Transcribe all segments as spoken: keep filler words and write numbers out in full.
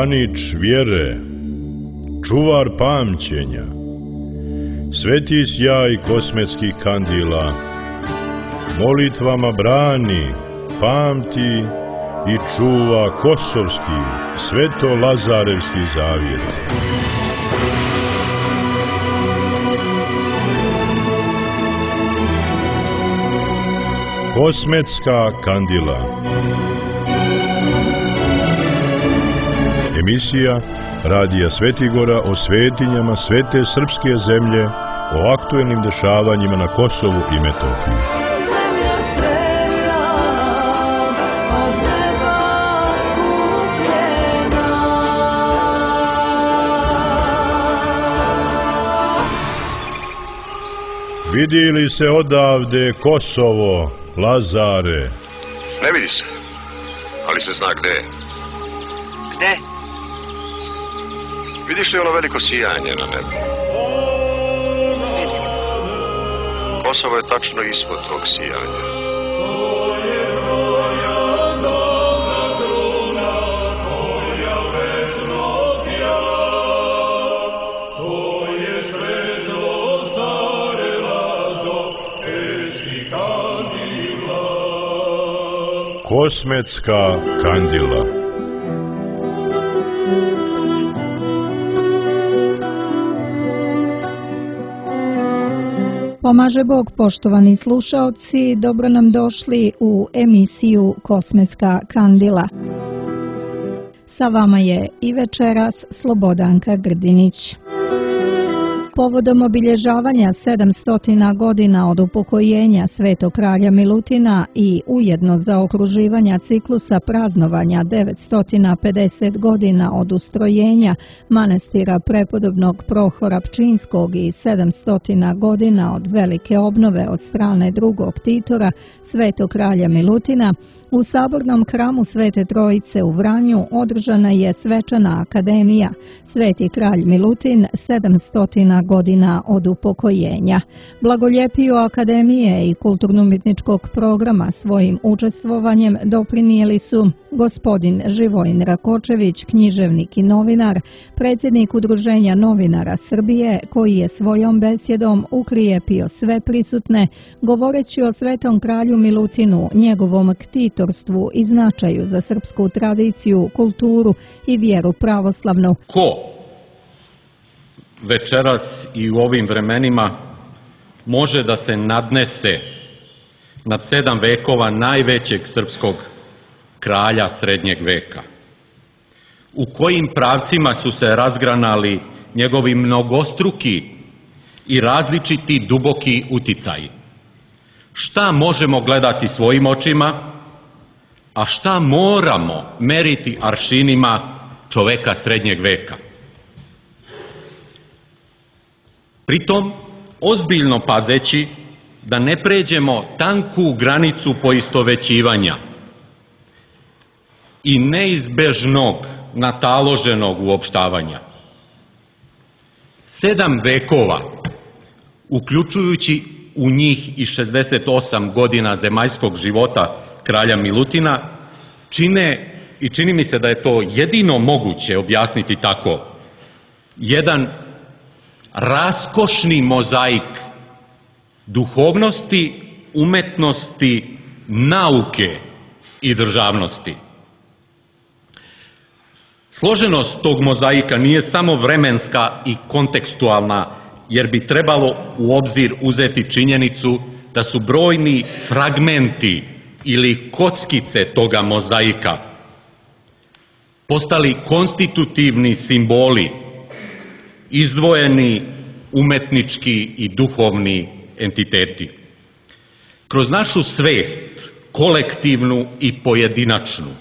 branič vjere, čuvar pamćenja, sveti sjaj kosmetskih kandila, molitvama brani, pamti i čuva kosovski, sveto-lazarevski zavjet. Kosmetska kandila. Emisija Radija Svetigora o svetinjama svete srpske zemlje, o aktuelnim dešavanjima na Kosovu i Metohiji. Vidi li se odavde Kosovo, Lazare? Ne vidi se, ali se zna gde je. Gde? Vidiš li ono veliko sijanje na nebu? Kosovo je tačno ispod tog sijanja. Kosmetska kandila. Pomaže Bog, poštovani slušaoci, dobro nam došli u emisiju Kosmetska kandila. Sa vama je i večeras Slobodanka Grdinić. Povodom obilježavanja sedamstotina godina od upokojenja Svetog kralja Milutina i ujedno za okruživanja ciklusa praznovanja devetsto pedeset godina od ustrojenja manastira prepodobnog Prohora Pčinskog i sedamsto godina od velike obnove od strane drugog Titora Svetog kralja Milutina, u Sabornom hramu Svete Trojice u Vranju održana je svečana akademija Sveti kralj Milutin, sedamsto godina od upokojenja. Blagoljepiju akademije i kulturno-umjetničkog programa svojim učestvovanjem doprinijeli su gospodin Živojin Rakočević, književnik i novinar, predsjednik Udruženja novinara Srbije, koji je svojom besjedom ukrijepio sve prisutne, govoreći o Svetom kralju Milutinu, njegovom ktitorstvu i značaju za srpsku tradiciju, kulturu i vjeru pravoslavnu. Ko večeras i u ovim vremenima može da se nadnese nad sedam vekova najvećeg srpskog kralja srednjeg veka? U kojim pravcima su se razgranali njegovi mnogostruki i različiti duboki uticaji? Šta možemo gledati svojim očima, a šta moramo meriti aršinima čoveka srednjeg veka? Pritom, ozbiljno pazeći da ne pređemo tanku granicu poistovećivanja i neizbežnog nataloženog uopštavanja. Sedam vekova, uključujući u njih i šezdeset osam godina zemaljskog života kralja Milutina, čine, i čini mi se da je to jedino moguće objasniti tako, jedan raskošni mozaik duhovnosti, umetnosti, nauke i državnosti. Složenost tog mozaika nije samo vremenska i kontekstualna, jer bi trebalo u obzir uzeti činjenicu da su brojni fragmenti ili kockice toga mozaika postali konstitutivni simboli, izdvojeni umetnički i duhovni entiteti. Kroz našu svest, kolektivnu i pojedinačnu,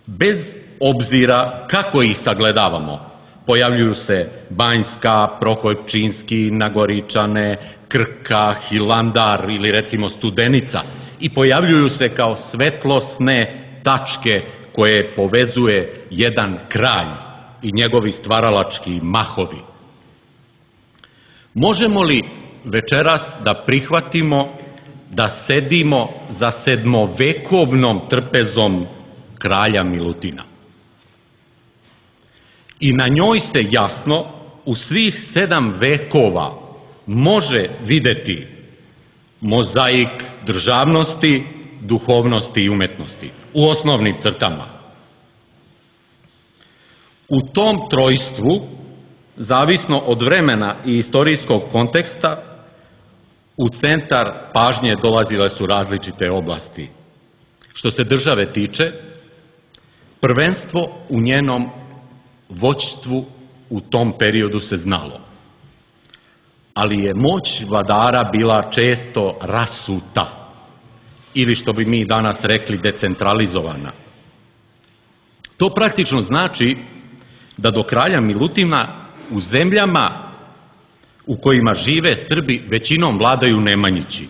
bez obzira kako ih sagledavamo, pojavljuju se Banjska, Prohor Pčinski, Nagoričane, Krka, Hilandar ili recimo Studenica i pojavljuju se kao svetlosne tačke koje povezuje jedan kralj i njegovi stvaralački mahovi. Možemo li večeras da prihvatimo da sedimo za sedmovekovnom trpezom kralja Milutina? I na njoj se jasno u svih sedam vekova može videti mozaik državnosti, duhovnosti i umetnosti u osnovnim crtama. U tom trojstvu, zavisno od vremena i istorijskog konteksta, u centar pažnje dolazile su različite oblasti. Što se države tiče, prvenstvo u njenom vođstvu u tom periodu se znalo. Ali je moć vladara bila često rasuta, ili što bi mi danas rekli decentralizovana. To praktično znači da do kralja Milutina u zemljama u kojima žive Srbi većinom vladaju Nemanjići.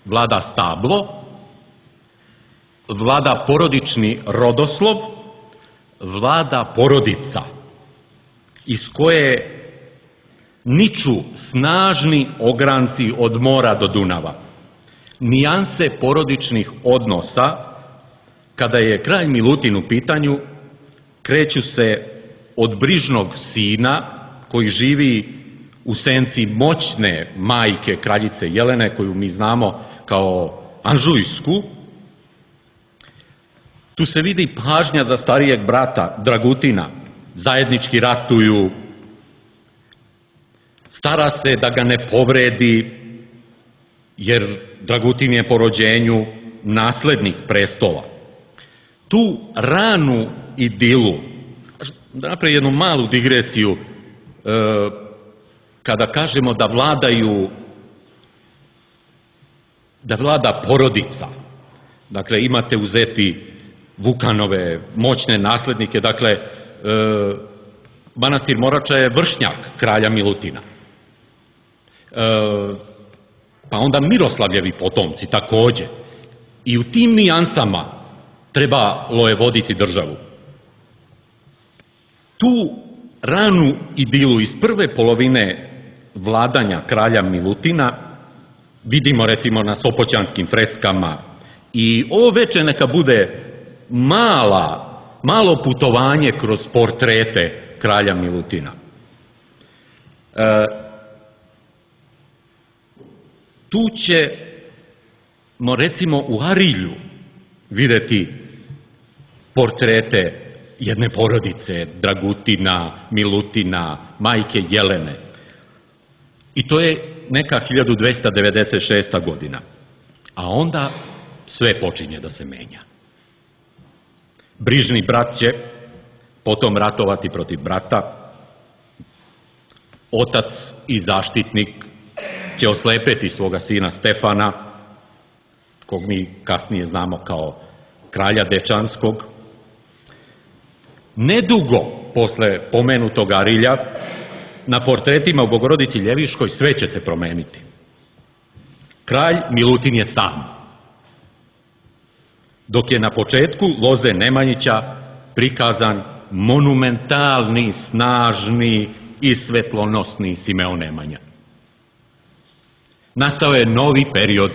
Vlada stablo, vlada porodični rodoslov, vlada porodica iz koje niču snažni ogranci od mora do Dunava. Nijanse porodičnih odnosa, kada je kralj Milutin u pitanju, kreću se od brižnog sina koji živi u senci moćne majke kraljice Jelene, koju mi znamo kao Anžujsku. Tu se vidi pažnja za starijeg brata Dragutina, zajednički ratuju, stara se da ga ne povredi, jer Dragutin je po rođenju naslednik prestola. Tu ranu idilu, da napravim jednu malu digresiju, kada kažemo da vladaju, da vlada porodica, dakle imate uzeti Vukanove moćne naslednike, dakle manastir Morača je vršnjak kralja Milutina. Pa onda Miroslavljevi potomci takođe. I u tim nijansama trebalo je voditi državu. Tu ranu idilu iz prve polovine vladanja kralja Milutina vidimo recimo na sopoćanskim freskama i ovo veče neka bude mala, malo putovanje kroz portrete kralja Milutina. E, tu ćemo recimo u Arilju videti portrete jedne porodice, Dragutina, Milutina, majke Jelene. I to je neka hiljadu dvesta devedeset šesta godina. A onda sve počinje da se menja. Brižni brat će potom ratovati protiv brata. Otac i zaštitnik će oslepeti svoga sina Stefana, kog mi kasnije znamo kao kralja Dečanskog. Nedugo posle pomenutog Arilja, na portretima u Bogorodici Ljeviškoj sve će se promeniti. Kralj Milutin je sam, dok je na početku loze Nemanjića prikazan monumentalni, snažni i svetlonosni Simeon Nemanja. Nastao je novi period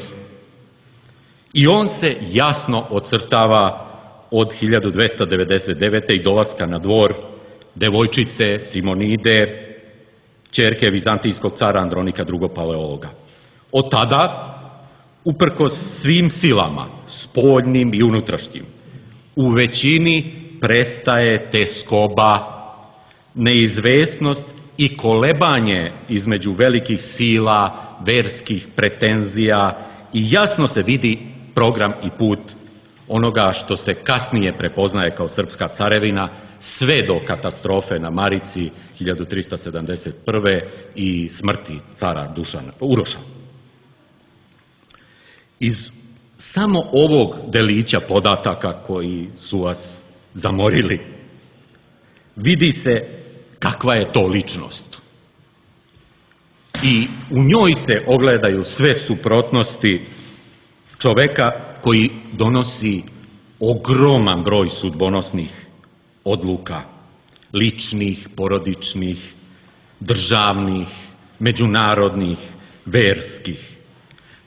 i on se jasno ocrtava od hiljadu dvesta devedeset devete. i dolaska na dvor devojčice Simonide, ćerke vizantijskog cara Andronika drugog. Paleologa. Od tada, uprkos svim silama, spoljnim i unutrašnjim, u većini prestaje teskoba, neizvesnost i kolebanje između velikih sila, verskih pretenzija i jasno se vidi program i put onoga što se kasnije prepoznaje kao srpska carevina, sve do katastrofe na Marici hiljadu trista sedamdeset prve. i smrti cara Dušana, Uroša. Iz samo ovog delića podataka koji su vas zamorili, vidi se kakva je to ličnost. I u njoj se ogledaju sve suprotnosti čoveka koji donosi ogroman broj sudbonosnih odluka, ličnih, porodičnih, državnih, međunarodnih, verskih.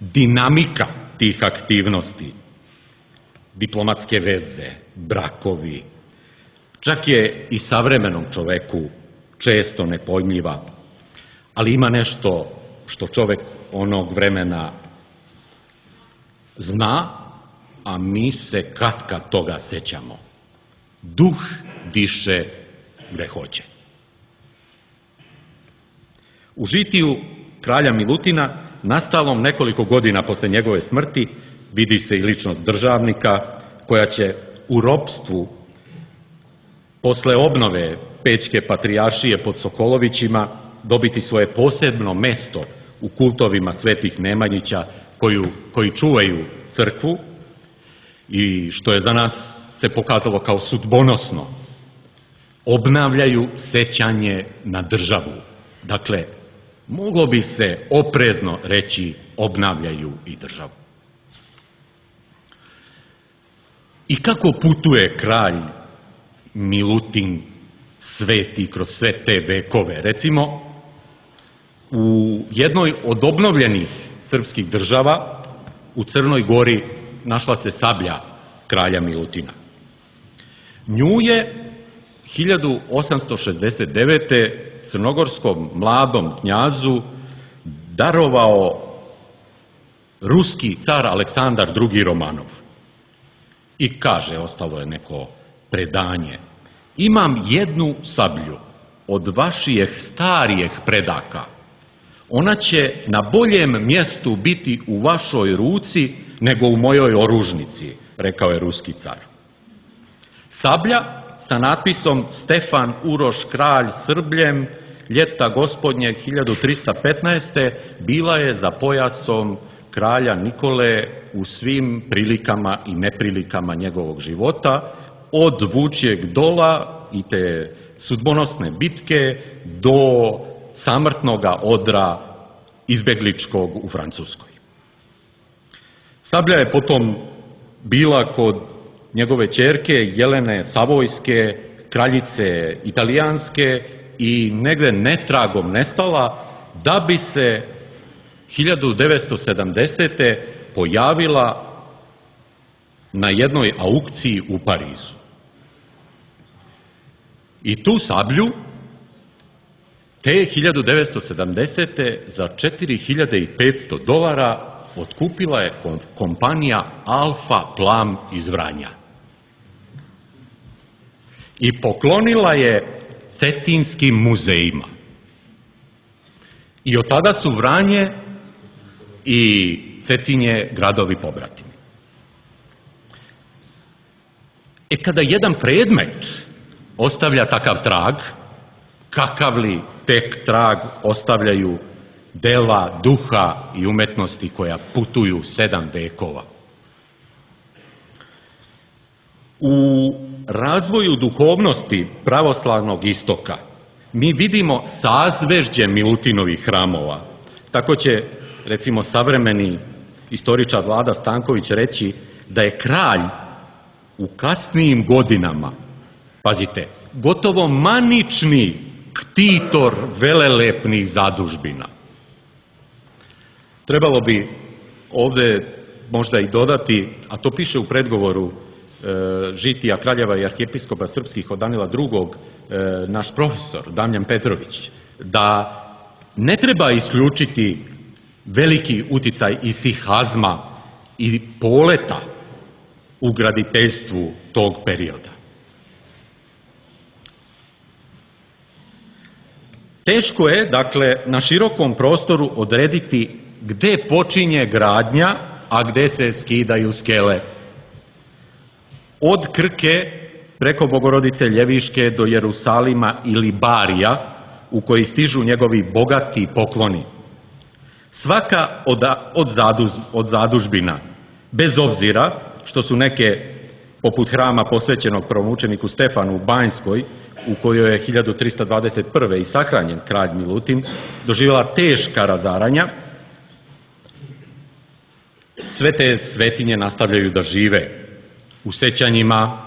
Dinamika tih aktivnosti, diplomatske veze, brakovi, Čak je i savremenom čoveku često nepojmljiva, ali ima nešto što čovek onog vremena zna, a mi se katkad toga sećamo. Duh diše gde hoće. U žitiju kralja Milutina, nastalom nekoliko godina posle njegove smrti, vidi se i ličnost državnika koja će u ropstvu posle obnove Pećke patrijaršije pod Sokolovićima dobiti svoje posebno mesto u kultovima svetih Nemanjića koju, koji čuvaju crkvu i što je za nas se pokazalo kao sudbonosno. Obnavljaju sećanje na državu. Dakle, moglo bi se oprezno reći obnavljaju i državu. I kako putuje kralj Milutin sveti kroz sve te vekove? Recimo, u jednoj od obnovljenih srpskih država, u Crnoj Gori, našla se sablja kralja Milutina. Nju je hiljadu osamsto šezdeset devete crnogorskom mladom knjazu darovao ruski car Aleksandar drugi Romanov. I kaže, ostalo je neko predanje, imam jednu sablju od vašijeh starijeh predaka. Ona će na boljem mjestu biti u vašoj ruci nego u mojoj oružnici, rekao je ruski car. Sablja sa natpisom Stefan Uroš kralj Srbljem, ljeta gospodnjeg hiljadu trista petnaeste. bila je za pojasom kralja Nikole u svim prilikama i neprilikama njegovog života, od Vučjeg dola i te sudbonosne bitke do samrtnoga odra izbegličkog u Francuskoj. Sablja je potom bila kod njegove ćerke Jelene Savojske, kraljice Italijanske, i negde netragom nestala, da bi se hiljadu devetsto sedamdesete. pojavila na jednoj aukciji u Parizu. I tu sablju te hiljadu devetsto sedamdesete. za četiri hiljade petsto dolara otkupila je kompanija Alfa Plam iz Vranja. I poklonila je Cetinskim muzejima. I od tada su Vranje i Cetinje gradovi pobratimi. E kada jedan predmet ostavlja takav trag, kakav li tek trag ostavljaju dela duha i umetnosti koja putuju sedam vekova. U razvoju duhovnosti pravoslavnog istoka mi vidimo sazvežđe Milutinovih hramova. Tako će, recimo, savremeni istoričar Vlada Stanković reći da je kralj u kasnijim godinama, pazite, gotovo manični ktitor velelepnih zadužbina. Trebalo bi ovde možda i dodati, a to piše u predgovoru e, žitija kraljeva i arhijepiskopa srpskih od Danila drugog. E, naš profesor Damjan Petrović, da ne treba isključiti veliki uticaj isihazma i poleta u graditeljstvu tog perioda. Teško je, dakle, na širokom prostoru odrediti gde počinje gradnja, a gde se skidaju skele. Od Krke preko Bogorodice Ljeviške do Jerusalima ili Barija, u koji stižu njegovi bogati pokloni. Svaka od, od, zaduz, od zadužbina, bez obzira što su neke, poput hrama posvećenog prvomučeniku Stefanu u Banjskoj, u kojoj je hiljadu trista dvadeset prve. i sahranjen kralj Milutin, doživjela teška razaranja, sve te svetinje nastavljaju da žive u sećanjima,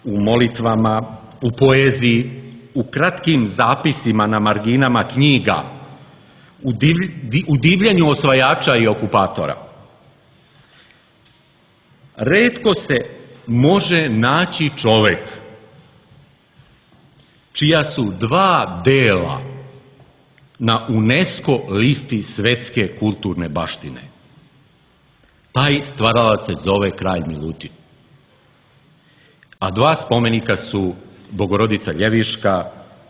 u molitvama, u poeziji, u kratkim zapisima na marginama knjiga, u, div, u divljenju osvajača i okupatora. Retko se može naći čovek čija su dva dela na UNESCO listi svetske kulturne baštine. Taj stvaralac se zove kralj Milutin. A dva spomenika su Bogorodica Ljeviška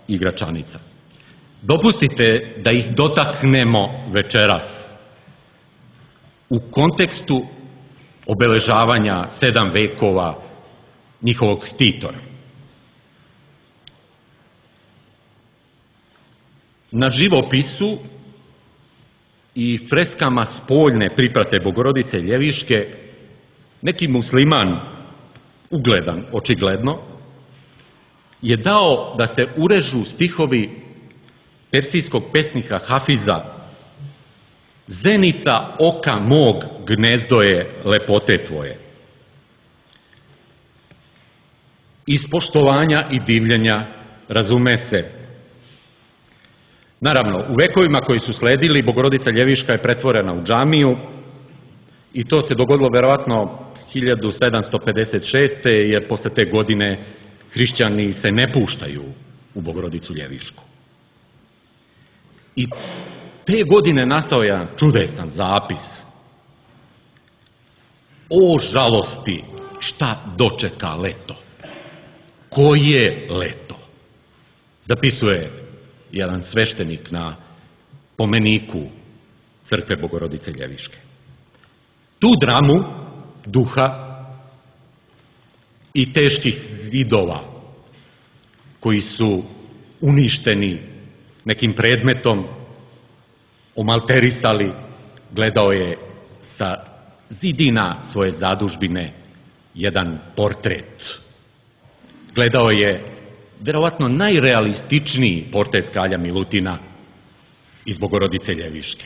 i Gračanica. Dopustite da ih dotaknemo večeras u kontekstu obeležavanja sedam vekova njihovog ktitora. Na živopisu i freskama spoljne priprate Bogorodice Ljeviške neki musliman, ugledan očigledno, je dao da se urežu stihovi persijskog pesnika Hafiza: "Zenica oka mog, gnezdo je lepote tvoje." Iz poštovanja i divljenja, razume se. Naravno, u vekovima koji su sledili, Bogorodica Ljeviška je pretvorena u džamiju i to se dogodilo verovatno hiljadu sedamsto pedeset šeste. jer posle te godine hrišćani se ne puštaju u Bogorodicu Ljevišku. I te godine nastao je jedan čudesan zapis: "O žalosti, šta dočeka leto? Koje leto?" Zapisuje jedan sveštenik na pomeniku crkve Bogorodice Ljeviške. Tu dramu duha i teških zidova koji su uništeni nekim predmetom, omalterisali, gledao je sa zidina svoje zadužbine jedan portret. Gledao je verovatno najrealističniji portret kralja Milutina iz Bogorodice Ljeviške.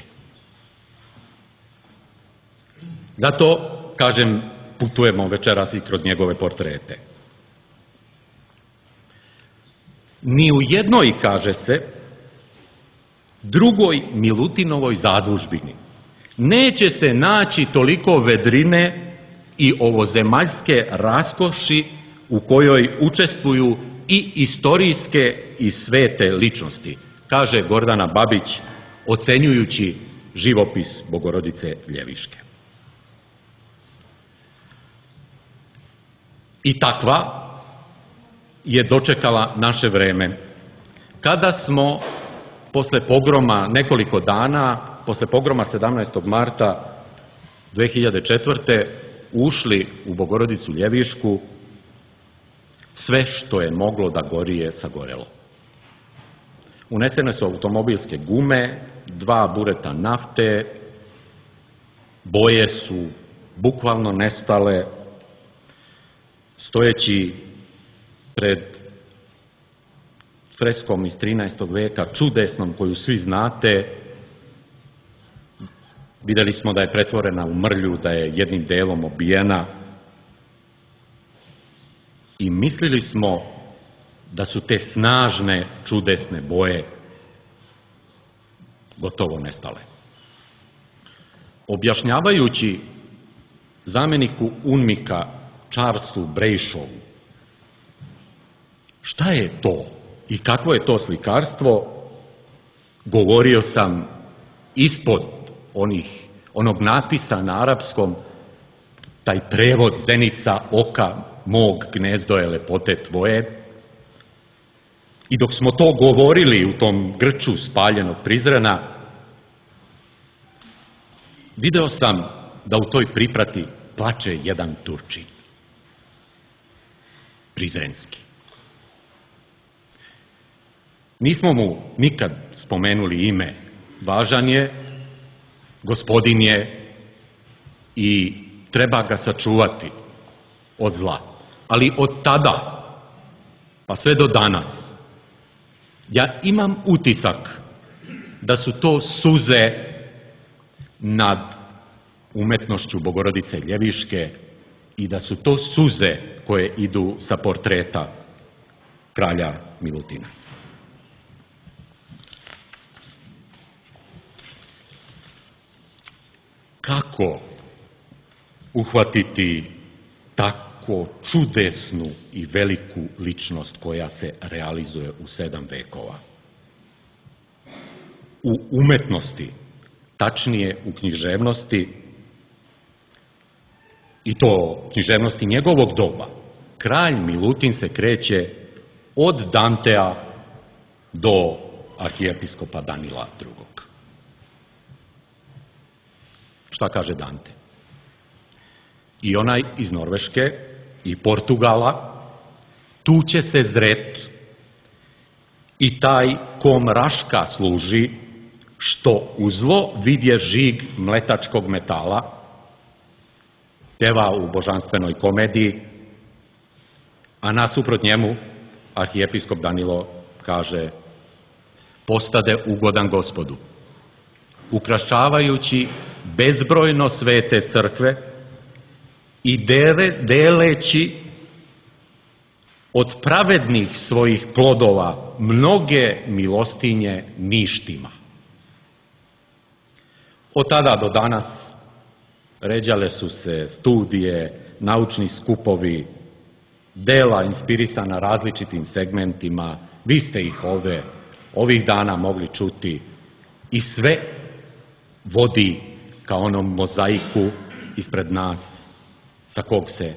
Zato, kažem, putujemo večeras i kroz njegove portrete. Ni u jednoj, kaže se, drugoj Milutinovoj zadužbini neće se naći toliko vedrine i ovozemaljske raskoši u kojoj učestvuju i istorijske i svete ličnosti, kaže Gordana Babić, ocenjujući živopis Bogorodice Ljeviške. I takva je dočekala naše vreme, kada smo posle pogroma nekoliko dana, posle pogroma sedamnaestog marta dve hiljade četvrte. ušli u Bogorodicu Ljevišku, sve što je moglo da gori je sagorelo. Unesene su automobilske gume, dva bureta nafte, boje su bukvalno nestale. Stojeći pred freskom iz trinaestog veka, čudesnom, koju svi znate, videli smo da je pretvorena u mrlju, da je jednim delom obijena i mislili smo da su te snažne, čudesne boje gotovo nestale. Objašnjavajući zameniku UNMIK-a Charlesu Brejšovu šta je to i kakvo je to slikarstvo, govorio sam ispod onih, onog natpisa na arapskom, taj prevod "Zenica oka mog, gnezdo je lepote tvoje". I dok smo to govorili u tom grču spaljenog Prizrena, video sam da u toj priprati plače jedan Turčin, prizrenski. Nismo mu nikad spomenuli ime, važan je, gospodin je i treba ga sačuvati od zla. Ali od tada, pa sve do danas, ja imam utisak da su to suze nad umetnošću Bogorodice Ljeviške i da su to suze koje idu sa portreta kralja Milutina. Kako uhvatiti tako čudesnu i veliku ličnost koja se realizuje u sedam vekova. U umetnosti, tačnije u književnosti, i to književnosti njegovog doba, kralj Milutin se kreće od Dantea do arhijepiskopa Danila drugog. Šta kaže Dante? I onaj iz Norveške i Portugala, tu će se zret i taj ko mraška služi, što u zlo vidje žig mletačkog metala, pjeva u božanstvenoj komediji, a nasuprot njemu arhijepiskop Danilo kaže: postade ugodan Gospodu, ukrašavajući bezbrojno svete crkve i dele, deleći od pravednih svojih plodova mnoge milostinje ništima. Od tada do danas ređale su se studije, naučni skupovi, dela inspirisana različitim segmentima, vi ste ih ove, ovih dana mogli čuti, i sve vodi ka onom mozaiku ispred nas, sa kog se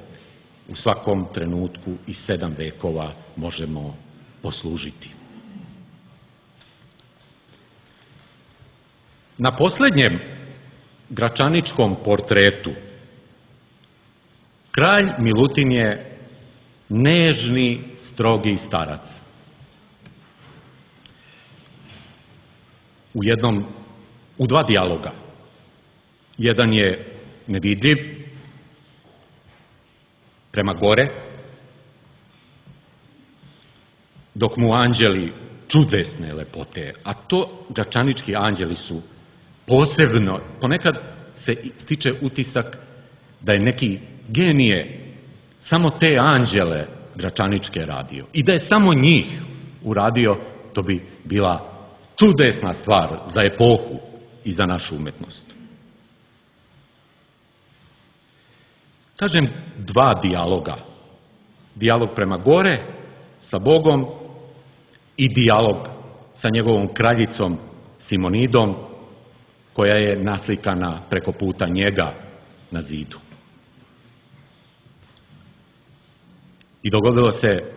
u svakom trenutku iz sedam vekova možemo poslužiti. Na posljednjem gračaničkom portretu kralj Milutin je nežni, strogi starac. U jednom, u dva dijaloga. Jedan je nevidljiv, prema gore, dok mu anđeli čudesne lepote, a to gračanički anđeli su posebno, ponekad se stiče utisak da je neki genije samo te anđele gračaničke radio i da je samo njih uradio, to bi bila čudesna stvar za epohu i za našu umetnost. Kažem dva dijaloga. Dijalog prema gore sa Bogom i dijalog sa njegovom kraljicom Simonidom, koja je naslikana preko puta njega na zidu. I dogodilo se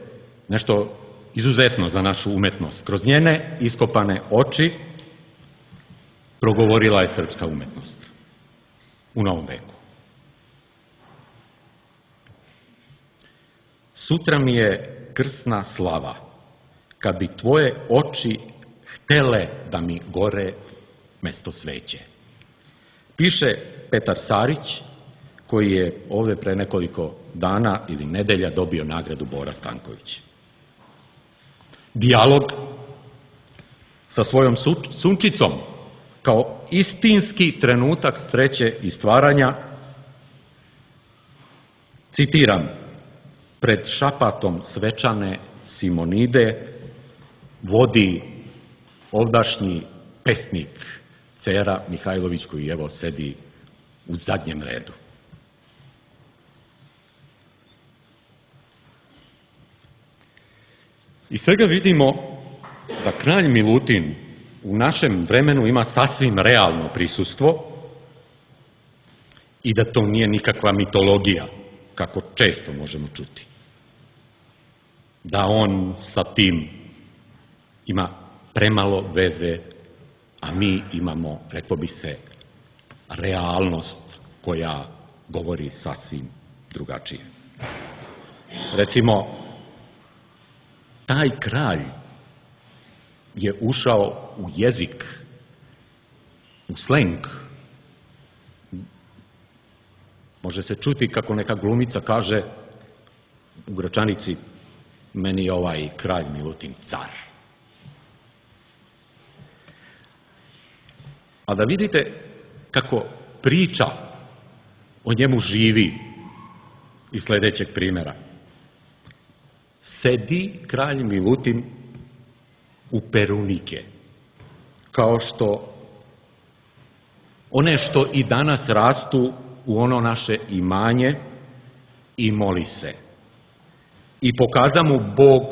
nešto izuzetno za našu umetnost. Kroz njene iskopane oči progovorila je srpska umetnost u novom veku. Sutra mi je krsna slava, kad bi tvoje oči htele da mi gore mesto sveće. Piše Petar Sarić, koji je ovdje pre nekoliko dana ili nedelja dobio nagradu Bora Stanković. Dijalog sa svojom sunkicom, kao istinski trenutak sreće i stvaranja, citiram: pred šapatom svečane Simonide vodi ovdašnji pesnik Cera Mihajlović, koji evo sedi u zadnjem redu. Iz svega vidimo da kralj Milutin u našem vremenu ima sasvim realno prisustvo i da to nije nikakva mitologija, kako često možemo čuti. Da on sa tim ima premalo veze, a mi imamo, reklo bi se, realnost koja govori sasvim drugačije. Recimo, taj kralj je ušao u jezik, u sleng. Može se čuti kako neka glumica kaže u Gračanici: meni je ovaj kralj Milutin car. A da vidite kako priča o njemu živi iz sljedećeg primjera. Sedi kralj Milutin u perunike, kao što one što i danas rastu u ono naše imanje, i moli se: i pokaza mu Bog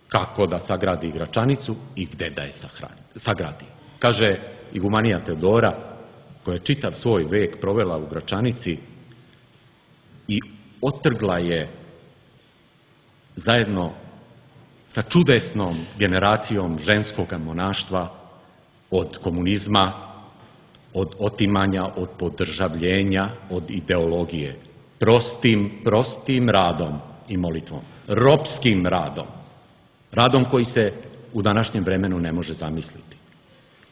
kako da sagradi Gračanicu i gde da je sagradi. Kaže igumanija Teodora, koja je čitav svoj vek provela u Gračanici i otrgla je zajedno sa čudesnom generacijom ženskog monaštva od komunizma, od otimanja, od podržavljenja, od ideologije. Prostim, prostim radom i molitvom. Ropskim radom. Radom koji se u današnjem vremenu ne može zamisliti.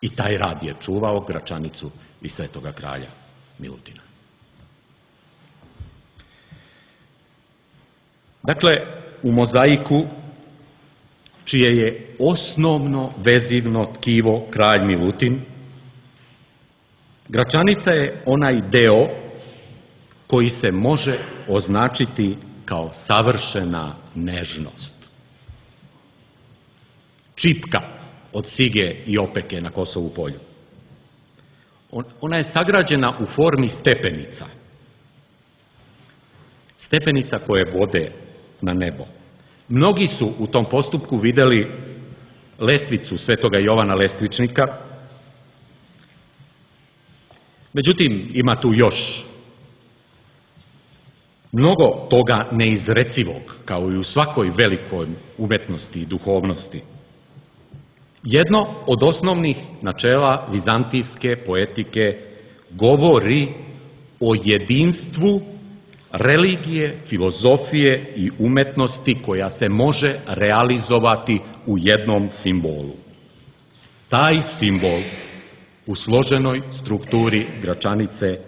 I taj rad je čuvao Gračanicu i svetoga kralja Milutina. Dakle, u mozaiku, čije je osnovno vezivno tkivo kralj Milutin, Gračanica je onaj deo koji se može označiti kao savršena nežnost. Čipka od sige i opeke na Kosovu polju. Ona je sagrađena u formi stepenica. Stepenica koje vode na nebo. Mnogi su u tom postupku videli lestvicu svetoga Jovana Lestvičnika. Međutim, ima tu još mnogo toga neizrecivog, kao i u svakoj velikoj umetnosti i duhovnosti. Jedno od osnovnih načela vizantijske poetike govori o jedinstvu religije, filozofije i umetnosti koja se može realizovati u jednom simbolu. Taj simbol u složenoj strukturi Gračanice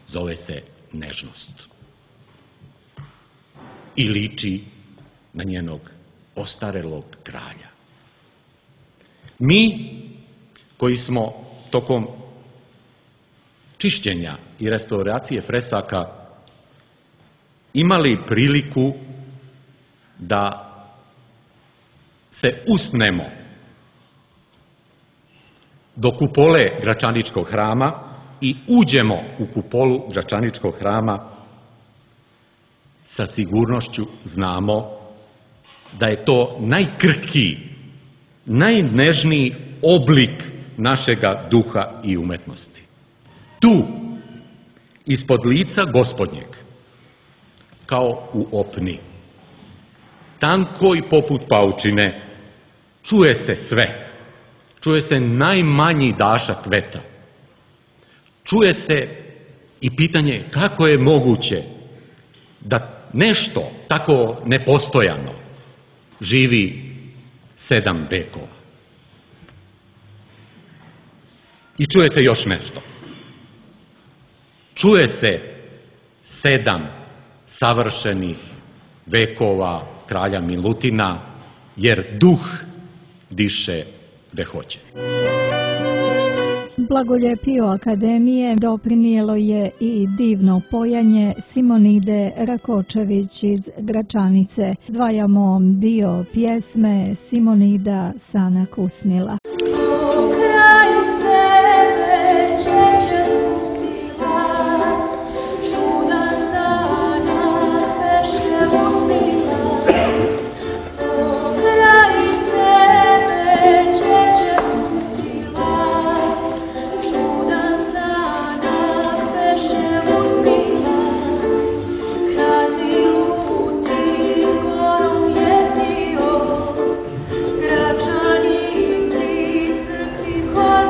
zove se nežnost. I liči na njenog ostarelog kralja. Mi, koji smo tokom čišćenja i restauracije fresaka imali priliku da se usnemo do kupole Gračaničkog hrama i uđemo u kupolu Gračaničkog hrama, sa sigurnošću znamo da je to najkrhkiji, najnežniji oblik našega duha i umetnosti. Tu, ispod lica Gospodnjeg, kao u opni, tanko i poput paučine, čuje se sve. Čuje se najmanji dašak veta. Čuje se i pitanje kako je moguće da nešto tako nepostojano živi sedam vekova. I čuje se još nešto. Čuje se sedam savršenih vekova kralja Milutina, jer duh diše gde hoće. Blagoljepio akademije doprinijelo je i divno pojanje Simonide Rakočević iz Gračanice. Dvajamo dio pjesme Simonida Sana Kusnila. Oh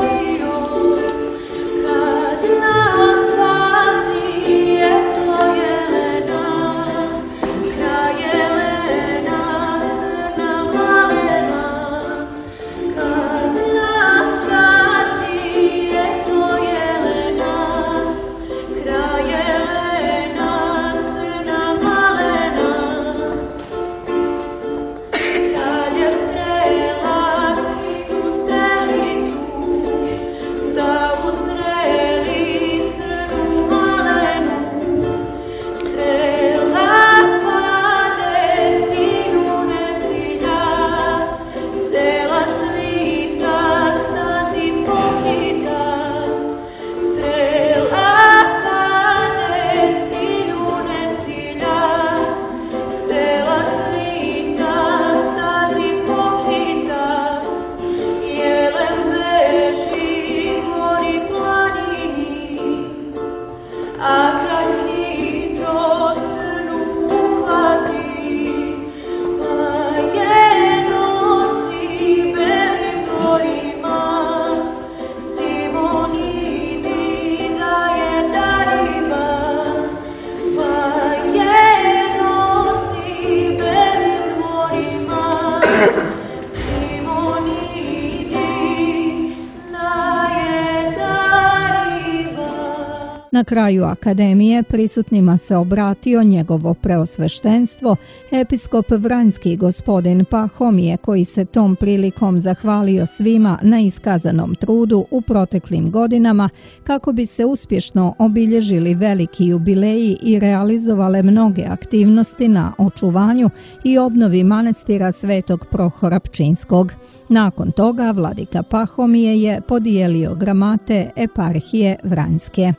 Na kraju akademije prisutnima se obratio njegovo preosveštenstvo, episkop Vranjski gospodin Pahomije, koji se tom prilikom zahvalio svima na iskazanom trudu u proteklim godinama kako bi se uspješno obilježili veliki jubileji i realizovale mnoge aktivnosti na očuvanju i obnovi manastira Svetog Prohora Pčinskog. Nakon toga vladika Pahomije je podijelio gramate eparhije Vranjske.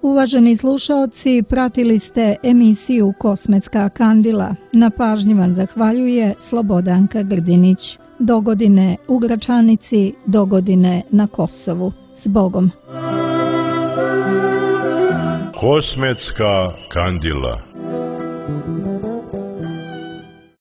Uvaženi slušaoci, pratili ste emisiju Kosmetska kandila. Na pažnji vam zahvaljuje Slobodanka Grdinić. Do godine u Gračanici, do godine na Kosovu. S Bogom! Kosmetska kandila.